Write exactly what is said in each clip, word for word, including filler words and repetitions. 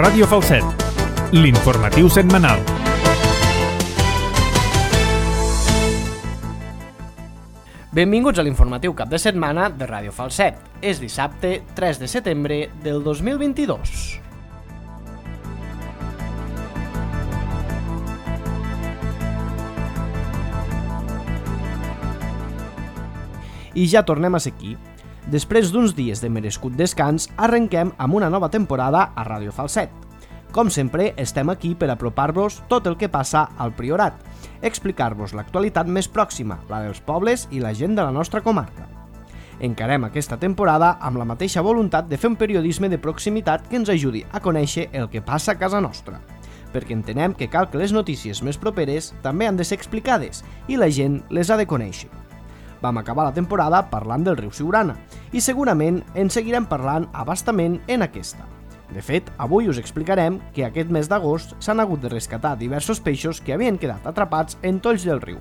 Ràdio Falset, l'informatiu setmanal. Benvinguts a l'informatiu cap de setmana de Ràdio Falset. És dissabte tres de setembre del dos mil vint-i-dos. I ja tornem a ser aquí. Després d'uns dies de merescut descans, arrenquem amb una nova temporada a Ràdio Falset. Com sempre, estem aquí per apropar-vos tot el que passa al Priorat, explicar-vos l'actualitat més pròxima, la dels pobles i la gent de la nostra comarca. Encarem aquesta temporada amb la mateixa voluntat de fer un periodisme de proximitat que ens ajudi a conèixer el que passa a casa nostra, perquè entenem que cal que les notícies més properes també han de ser explicades i la gent les ha de conèixer. Vam acabar la temporada parlant del riu Siurana i segurament en seguirem parlant a bastament en aquesta. De fet, avui us explicarem que aquest mes d'agost s'han hagut de rescatar diversos peixos que havien quedat atrapats en tolls del riu.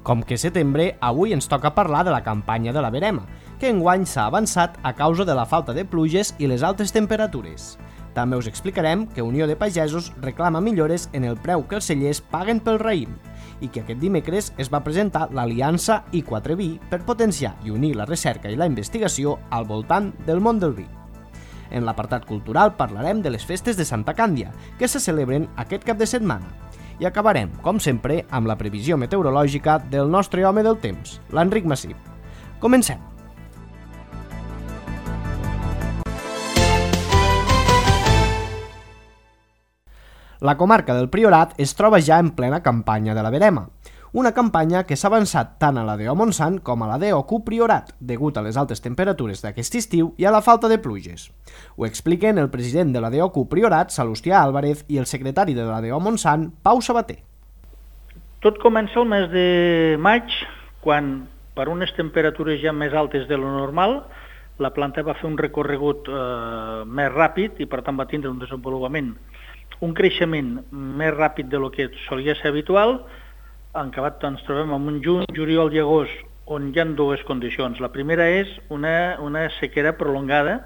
Com que setembre, avui ens toca parlar de la campanya de la verema, que enguany s'ha avançat a causa de la falta de pluges i les altes temperatures. També us explicarem que Unió de Pagesos reclama millores en el preu que els cellers paguen pel raïm i que aquest dimecres es va presentar l'Aliança i quatre vi per potenciar i unir la recerca i la investigació al voltant del món del vi. En l'apartat cultural parlarem de les festes de Santa Càndia, que se celebren aquest cap de setmana. I acabarem, com sempre, amb la previsió meteorològica del nostre home del temps, l'Enric Massip. Comencem! La comarca del Priorat es troba ja en plena campanya de la verema, una campanya que s'ha avançat tant a la D O Montsant com a la D O Q Priorat, degut a les altes temperatures d'aquest estiu i a la falta de pluges. Ho expliquen el president de la D O Q Priorat, Salustià Álvarez, i el secretari de la D O Montsant, Pau Sabater. Tot comença el mes de maig, quan, per unes temperatures ja més altes de lo normal, la planta va fer un recorregut eh, més ràpid i per tant va tindre un desenvolupament, un creixement més ràpid de lo que solia ser habitual. En acabat ens trobem en un juny, juliol i agost on hi ha dues condicions. La primera és una, una sequera prolongada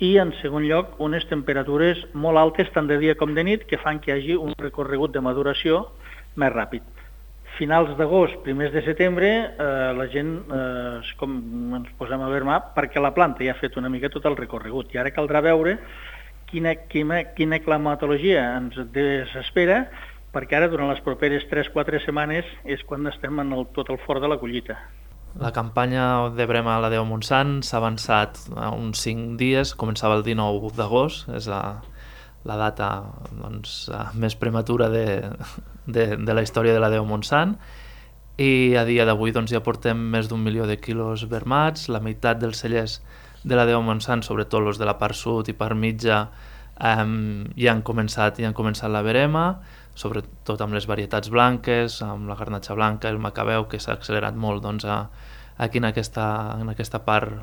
i, en segon lloc, unes temperatures molt altes tant de dia com de nit que fan que hi hagi un recorregut de maduració més ràpid. Finals d'agost, primers de setembre, eh, la gent eh, com ens posem a vermar perquè la planta ja ha fet una mica tot el recorregut i ara caldrà veure quina, quina, quina climatologia ens desespera, perquè ara durant les properes tres quatre setmanes és quan estem en el, tot el fort de la collita. La campanya de verema a la D O Montsant s'ha avançat a uns cinc dies, començava el dinou d'agost, és la, la data doncs, més prematura de, de, de la història de la D O Montsant, i a dia d'avui doncs, ja portem més d'un milió de quilos vermats, la meitat dels cellers de la D O Montsant, sobretot els de la part sud i part mitja, eh, ja han començat, ja han començat la verema, sobretot amb les varietats blanques, amb la garnatxa blanca, el macabeu, que s'ha accelerat molt doncs, a, aquí en aquesta, en aquesta part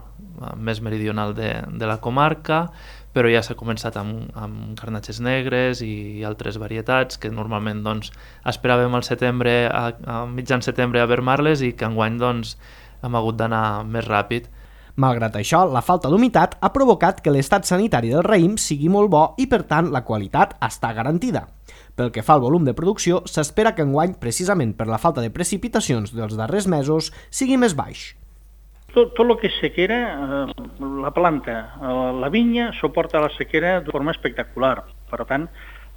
més meridional de, de la comarca, però ja s'ha començat amb, amb garnatxes negres i altres varietats que normalment doncs, esperàvem al setembre, a, a mitjan setembre a vermar-les i que enguany doncs, hem hagut d'anar més ràpid. Malgrat això, la falta d'humitat ha provocat que l'estat sanitari del raïm sigui molt bo i, per tant, la qualitat està garantida. Pel que fa al volum de producció, s'espera que enguany, precisament per la falta de precipitacions dels darrers mesos, sigui més baix. Tot, tot el que és sequera, eh, la planta, eh, la vinya, suporta la sequera de forma espectacular. Per tant,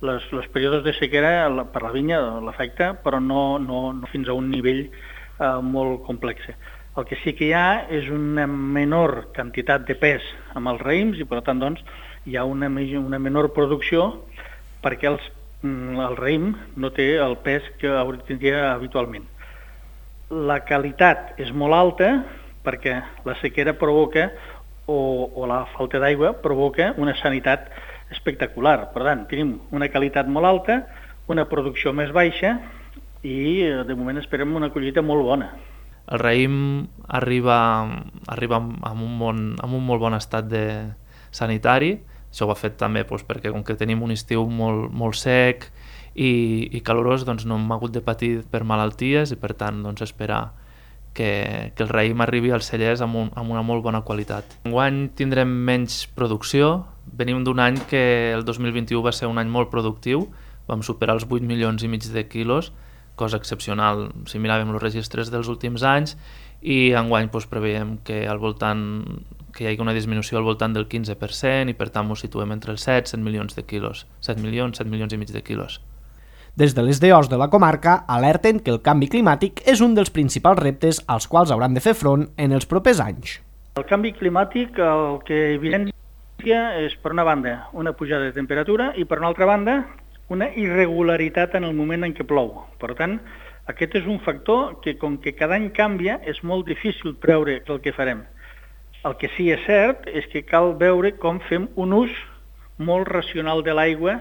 les, les períodes de sequera la, per la vinya l'afecta, però no, no, no fins a un nivell eh, molt complex. El que sí que hi ha és una menor quantitat de pes amb els raïms i per tant doncs, hi ha una, una menor producció perquè els, el raïm no té el pes que tindria habitualment. La qualitat és molt alta perquè la sequera provoca o, o la falta d'aigua provoca una sanitat espectacular. Per tant, tenim una qualitat molt alta, una producció més baixa i de moment esperem una collita molt bona. El raïm arriba, arriba amb, un bon, amb un molt bon estat de sanitari. Això ho ha fet també doncs, perquè com que tenim un estiu molt, molt sec i, i calorós, doncs no hem hagut de patir per malalties i per tant doncs, esperar que, que el raïm arribi als cellers amb, un, amb una molt bona qualitat. Enguany tindrem menys producció. Venim d'un any que el dos mil vint-i-u va ser un any molt productiu, vam superar els vuit milions i mig de quilos, cosa excepcional si miràvem els registres dels últims anys, i enguany doncs, preveiem que al voltant que hi hagi una disminució al voltant del quinze per cent i per tant ens situem entre els set i set milions de quilos, set milions, set milions i mig de quilos. Des de les D Os de la comarca alerten que el canvi climàtic és un dels principals reptes als quals hauran de fer front en els propers anys. El canvi climàtic el que evidencia és, per una banda, una pujada de temperatura i, per una altra banda, una irregularitat en el moment en què plou. Per tant, aquest és un factor que, com que cada any canvia, és molt difícil preveure el que farem. El que sí és cert és que cal veure com fem un ús molt racional de l'aigua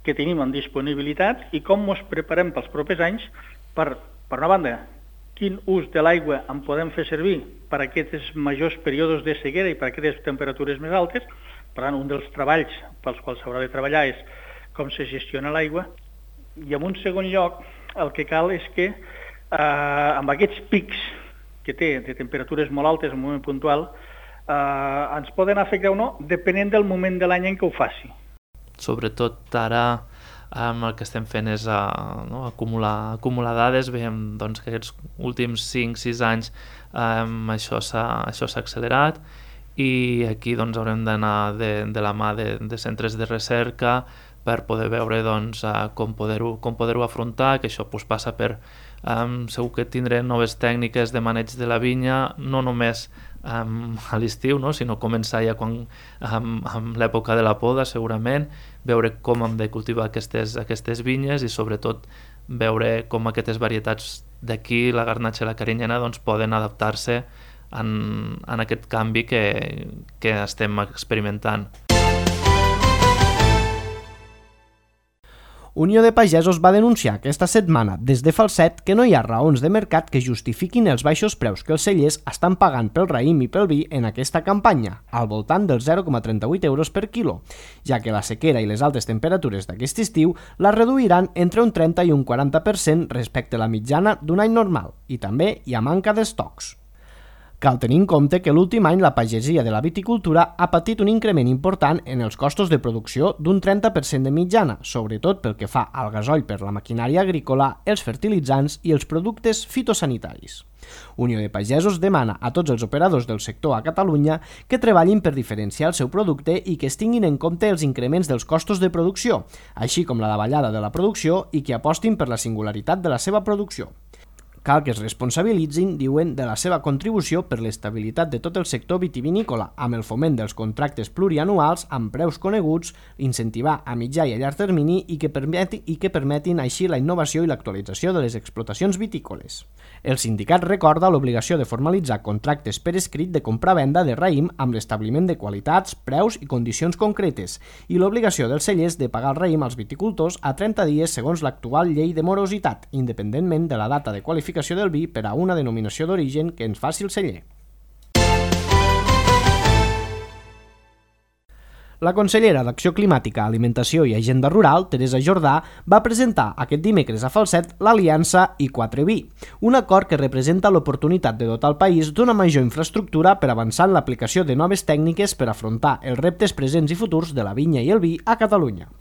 que tenim en disponibilitat i com ens preparem pels propers anys per, per una banda, quin ús de l'aigua en podem fer servir per a aquests majors períodes de sequera i per a aquestes temperatures més altes. Per tant, un dels treballs pels quals s'haurà de treballar és com se gestiona l'aigua. I en un segon lloc, el que cal és que eh, amb aquests pics que té de temperatures molt altes en un moment puntual, eh, ens poden afectar o no, depenent del moment de l'any en què ho faci. Sobretot ara um, el que estem fent és uh, no, acumular, acumular dades. Veiem doncs, que aquests últims cinc sis anys um, això s'ha això s'ha accelerat i aquí doncs, haurem d'anar de, de la mà de, de centres de recerca per poder veure doncs, uh, com poder-ho com poder-ho afrontar, que això pues, passa per um, segur que tindrem noves tècniques de maneig de la vinya, no només um, a l'estiu, no? sinó començar ja quan, um, amb l'època de la poda segurament, veure com hem de cultivar aquestes, aquestes vinyes i sobretot veure com aquestes varietats d'aquí, la garnatxa i la carinyena, doncs, poden adaptar-se en, en aquest canvi que, que estem experimentant. Unió de Pagesos va denunciar aquesta setmana des de Falset que no hi ha raons de mercat que justifiquin els baixos preus que els cellers estan pagant pel raïm i pel vi en aquesta campanya, al voltant dels zero coma trenta-vuit euros per quilo, ja que la sequera i les altes temperatures d'aquest estiu la reduiran entre un trenta i un quaranta per cent respecte a la mitjana d'un any normal, i també hi ha manca d'estocs. Cal tenir en compte que l'últim any la pagesia de la viticultura ha patit un increment important en els costos de producció d'un trenta per cent de mitjana, sobretot pel que fa al gasoll per la maquinària agrícola, els fertilitzants i els productes fitosanitaris. Unió de Pagesos demana a tots els operadors del sector a Catalunya que treballin per diferenciar el seu producte i que es tinguin en compte els increments dels costos de producció, així com la davallada de la producció i que apostin per la singularitat de la seva producció. Cal que es responsabilitzin, diuen, de la seva contribució per l'estabilitat de tot el sector vitivinícola, amb el foment dels contractes plurianuals amb preus coneguts, incentivar a mitjà i a llarg termini i que, permeti, i que permetin així la innovació i l'actualització de les explotacions vitícoles. El sindicat recorda l'obligació de formalitzar contractes per escrit de compra-venda de raïm amb l'establiment de qualitats, preus i condicions concretes i l'obligació dels cellers de pagar el raïm als viticultors a trenta dies segons l'actual llei de morositat, independentment de la data de qualificació del vi per a una denominació d'origen que ens faci el celler. La consellera d'Acció Climàtica, Alimentació i Agenda Rural, Teresa Jordà, va presentar aquest dimecres a Falset l'Aliança i quatre vi, un acord que representa l'oportunitat de dotar el país d'una major infraestructura per avançar en l'aplicació de noves tècniques per afrontar els reptes presents i futurs de la vinya i el vi a Catalunya.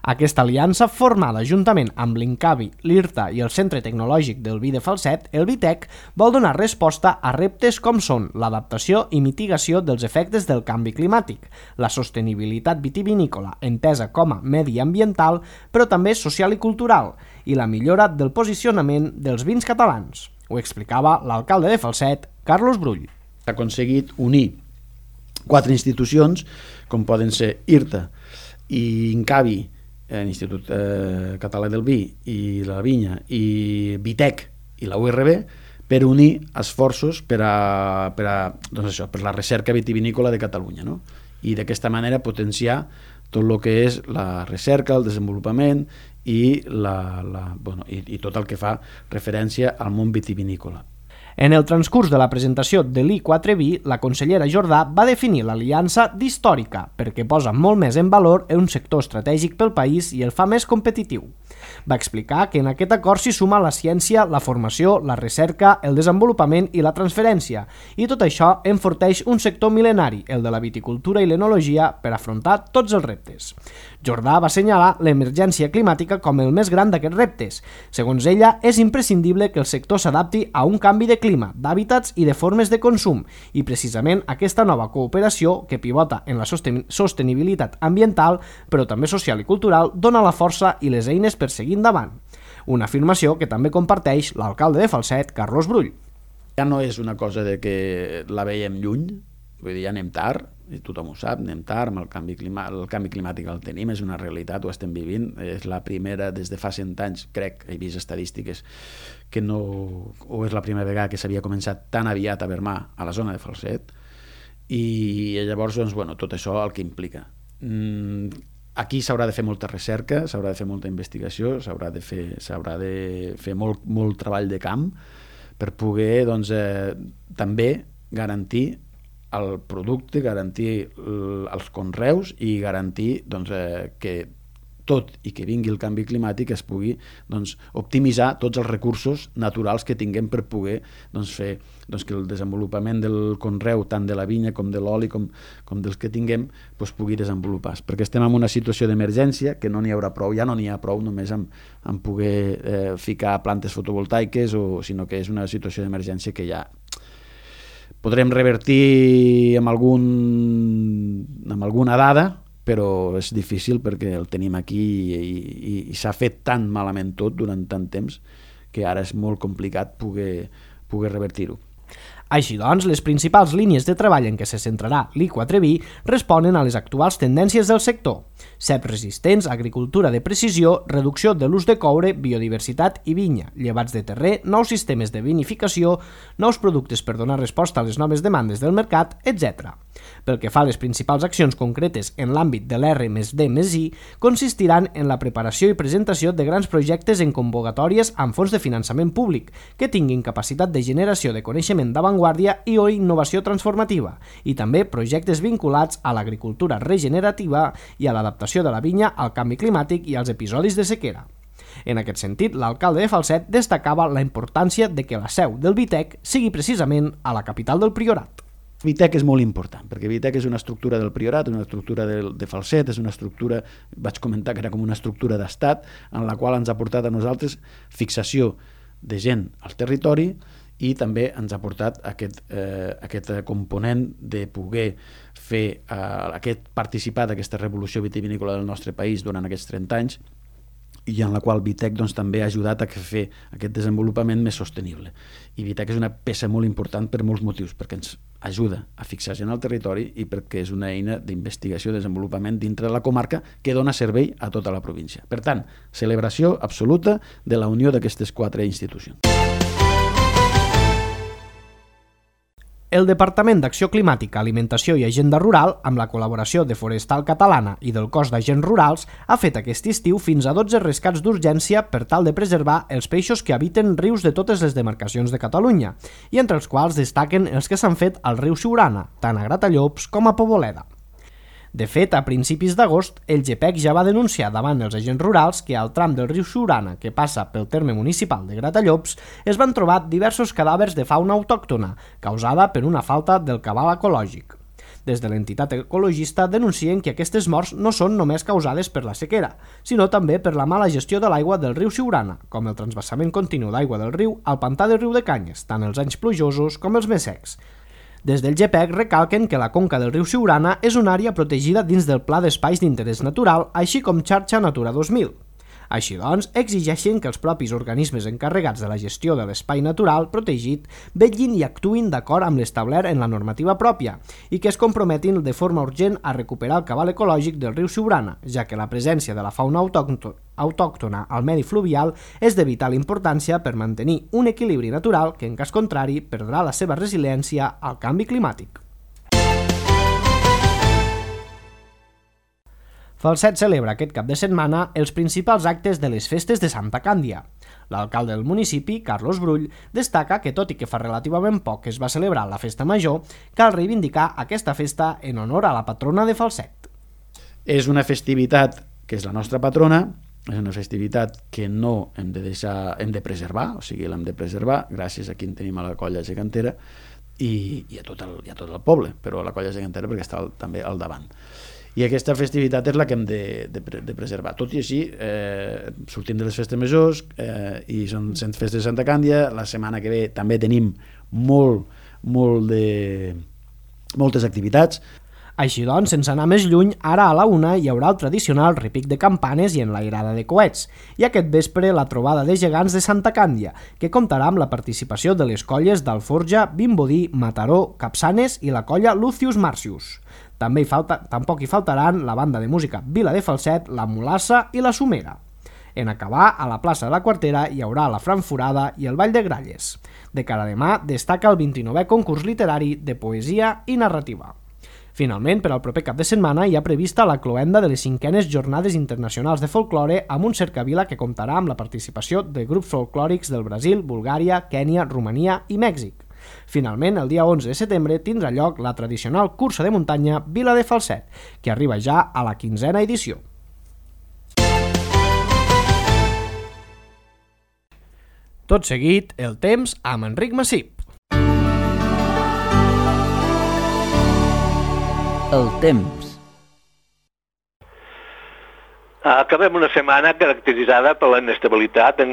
Aquesta aliança, formada juntament amb l'Incavi, l'IRTA i el Centre Tecnològic del Vi de Falset, el Vitec, vol donar resposta a reptes com són l'adaptació i mitigació dels efectes del canvi climàtic, la sostenibilitat vitivinícola entesa com a mediambiental, però també social i cultural, i la millora del posicionament dels vins catalans. Ho explicava l'alcalde de Falset, Carlos Brull. S'ha aconseguit unir quatre institucions, com poden ser IRTA i Incavi, l'Institut eh, Català del Vi i la Vinya, i Vitec i la U R B, per unir esforços per a, per a, doncs això, per la recerca vitivinícola de Catalunya, no? I d'aquesta manera potenciar tot el que és la recerca, el desenvolupament i, la, la, bueno, i, i tot el que fa referència al món vitivinícola. En el transcurs de la presentació de l'I quatre B, la consellera Jordà va definir l'aliança d'històrica perquè posa molt més en valor un sector estratègic pel país i el fa més competitiu. Va explicar que en aquest acord s'hi suma la ciència, la formació, la recerca, el desenvolupament i la transferència, i tot això enforteix un sector mil·lenari, el de la viticultura i l'enologia, per afrontar tots els reptes. Jordà va assenyalar l'emergència climàtica com el més gran d'aquests reptes. Segons ella, és imprescindible que el sector s'adapti a un canvi de clima, d'hàbitats i de formes de consum, i precisament aquesta nova cooperació, que pivota en la sostenibilitat ambiental, però també social i cultural, dona la força i les eines per seguir endavant. Una afirmació que també comparteix l'alcalde de Falset, Carlos Brull. Ja no és una cosa de que la veiem lluny, vull dir, ja anem tard, i tothom ho sap, anem tard, amb el canvi, clima, el canvi climàtic el tenim, és una realitat, ho estem vivint, és la primera, des de fa cent anys, crec, he vist estadístiques, que no, o és la primera vegada que s'havia començat tan aviat a vermar a la zona de Falset, i llavors, doncs, bueno, tot això el que implica. Mm, aquí s'haurà de fer molta recerca, s'haurà de fer molta investigació, s'haurà de fer, s'haurà de fer molt, molt treball de camp per poder, doncs, eh, també garantir el producte, garantir els conreus i garantir doncs, eh, que tot i que vingui el canvi climàtic es pugui doncs, optimitzar tots els recursos naturals que tinguem per poder doncs, fer doncs, que el desenvolupament del conreu, tant de la vinya com de l'oli com, com dels que tinguem, doncs, pugui desenvolupar. Perquè estem en una situació d'emergència que no n'hi haurà prou, ja no n'hi ha prou només amb, amb poder eh, ficar plantes fotovoltaiques, o, sinó que és una situació d'emergència que ja podrem revertir amb, algun, amb alguna dada, però és difícil perquè el tenim aquí i, i, i s'ha fet tan malament tot durant tant temps que ara és molt complicat poder, poder revertir-ho. Així doncs, les principals línies de treball en què se centrarà l'I quatre B responen a les actuals tendències del sector: ceps resistents, agricultura de precisió, reducció de l'ús de coure, biodiversitat i vinya, llevats de terrer, nous sistemes de vinificació, nous productes per donar resposta a les noves demandes del mercat, etcètera. Pel que fa a les principals accions concretes en l'àmbit de l'R més D més I, consistiran en la preparació i presentació de grans projectes en convocatòries amb fons de finançament públic que tinguin capacitat de generació de coneixement d'avantguàrdia i o innovació transformativa, i també projectes vinculats a l'agricultura regenerativa i a l'adaptació de la vinya al canvi climàtic i als episodis de sequera. En aquest sentit, l'alcalde de Falset destacava la importància de que la seu del Vitec sigui precisament a la capital del Priorat. Vitec és molt important, perquè Vitec és una estructura del Priorat, una estructura de, de Falset, és una estructura, vaig comentar que era com una estructura d'estat, en la qual ens ha portat a nosaltres fixació de gent al territori i també ens ha portat aquest, eh, aquest component de poder fer eh, aquest participar d'aquesta revolució vitivinícola del nostre país durant aquests trenta anys, i en la qual Vitec doncs, també ha ajudat a fer aquest desenvolupament més sostenible. I Vitec és una peça molt important per molts motius, perquè ens ajuda a fixar gent al territori i perquè és una eina d'investigació i desenvolupament dintre de la comarca que dona servei a tota la província. Per tant, celebració absoluta de la unió d'aquestes quatre institucions. El Departament d'Acció Climàtica, Alimentació i Agenda Rural, amb la col·laboració de Forestal Catalana i del Cos d'Agents Rurals, ha fet aquest estiu fins a dotze rescats d'urgència per tal de preservar els peixos que habiten rius de totes les demarcacions de Catalunya, i entre els quals destaquen els que s'han fet al riu Siurana, tant a Gratallops com a Poboleda. De fet, a principis d'agost, el GEPEC ja va denunciar davant els agents rurals que al tram del riu Siurana, que passa pel terme municipal de Gratallops, es van trobar diversos cadàvers de fauna autòctona, causada per una falta del cabal ecològic. Des de l'entitat ecologista denuncien que aquestes morts no són només causades per la sequera, sinó també per la mala gestió de l'aigua del riu Siurana, com el transvasament continu d'aigua del riu al pantà del riu de Canyes, tant els anys plujosos com els més secs. Des del GEPEC recalquen que la conca del riu Siurana és una àrea protegida dins del Pla d'Espais d'Interès Natural, així com xarxa Natura dos mil. Així doncs, exigeixen que els propis organismes encarregats de la gestió de l'espai natural protegit vetllin i actuïn d'acord amb l'establert en la normativa pròpia i que es comprometin de forma urgent a recuperar el cabal ecològic del riu Siurana, ja que la presència de la fauna autòctona al medi fluvial és de vital importància per mantenir un equilibri natural que, en cas contrari, perdrà la seva resiliència al canvi climàtic. Falset celebra aquest cap de setmana els principals actes de les festes de Santa Càndia. L'alcalde del municipi, Carlos Brull, destaca que tot i que fa relativament poc que es va celebrar la festa major, cal reivindicar aquesta festa en honor a la patrona de Falset. És una festivitat que és la nostra patrona, és una festivitat que no hem de deixar, hem de preservar, o sigui, l'hem de preservar gràcies a qui en tenim a la colla gegantera i, i, a tot el, i a tot el poble, però a la colla gegantera perquè està al, també al davant. I aquesta festivitat és la que hem de, de, de preservar. Tot i així, eh, sortim de les festes majors eh, i són cent festes de Santa Càndia. La setmana que ve també tenim molt, molt de, moltes activitats. Així doncs, sense anar més lluny, ara a la una hi haurà el tradicional repic de campanes i enlairada de coets, i aquest vespre la trobada de gegants de Santa Càndia, que comptarà amb la participació de les colles d'Alforja, Vimbodí, Mataró, Capçanes i la colla Lucius Marcius. També hi falta, tampoc hi faltaran la banda de música Vila de Falset, la Mulassa i la Somera. En acabar, a la plaça de la Quartera hi haurà la Franforada i el Ball de Gralles. De cara a demà destaca el vint-i-novè concurs literari de poesia i narrativa. Finalment, per al proper cap de setmana hi ha prevista la cloenda de les cinquenes Jornades Internacionals de Folklore amb un cercavila que comptarà amb la participació de grups folclòrics del Brasil, Bulgària, Kènia, Romania i Mèxic. Finalment, el dia onze de setembre tindrà lloc la tradicional cursa de muntanya Vila de Falset, que arriba ja a la quinzena edició. Tot seguit, el temps amb Enric Massip. El temps. Acabem una setmana caracteritzada per la inestabilitat.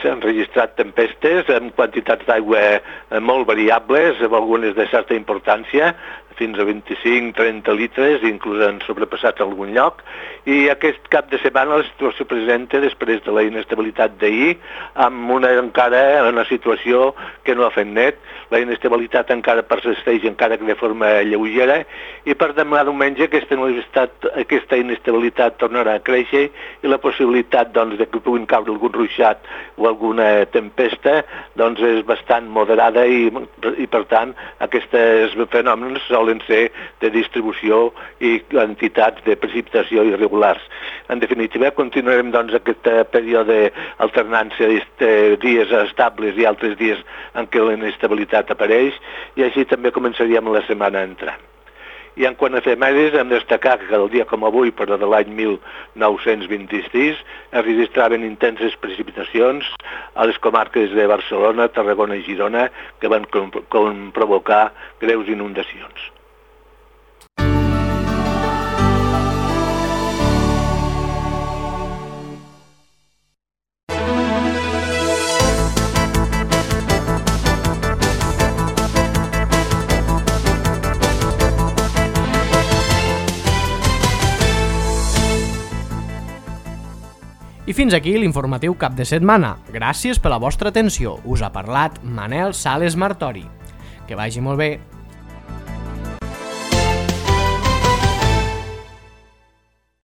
S'han registrat tempestes amb quantitats d'aigua molt variables, amb algunes de certa importància, fins a vint-i-cinc a trenta litres, inclús han sobrepassat algun lloc, i aquest cap de setmana la situació presenta després de la inestabilitat d'ahir, amb una encara una situació que no ha fet net. La inestabilitat encara persisteix, encara que de forma lleugera, i per demà diumenge aquesta, aquesta inestabilitat tornarà a créixer i la possibilitat doncs, de que puguin caure algun ruixat o alguna tempesta doncs, és bastant moderada i, i per tant aquests fenòmens solen ser de distribució i quantitats de precipitació irregulars. En definitiva, continuarem doncs, aquest període d'alternància de dies estables i altres dies en què la inestabilitat apareix, i així també començaríem la setmana entrant. I en quant a efemèrides, hem de destacar que el dia com avui, però de l'any mil nou-cents vint-i-sis, es registraven intenses precipitacions a les comarques de Barcelona, Tarragona i Girona, que van com, com provocar greus inundacions. I fins aquí l'informatiu cap de setmana. Gràcies per la vostra atenció. Us ha parlat Manel Sales Martori. Que vagi molt bé.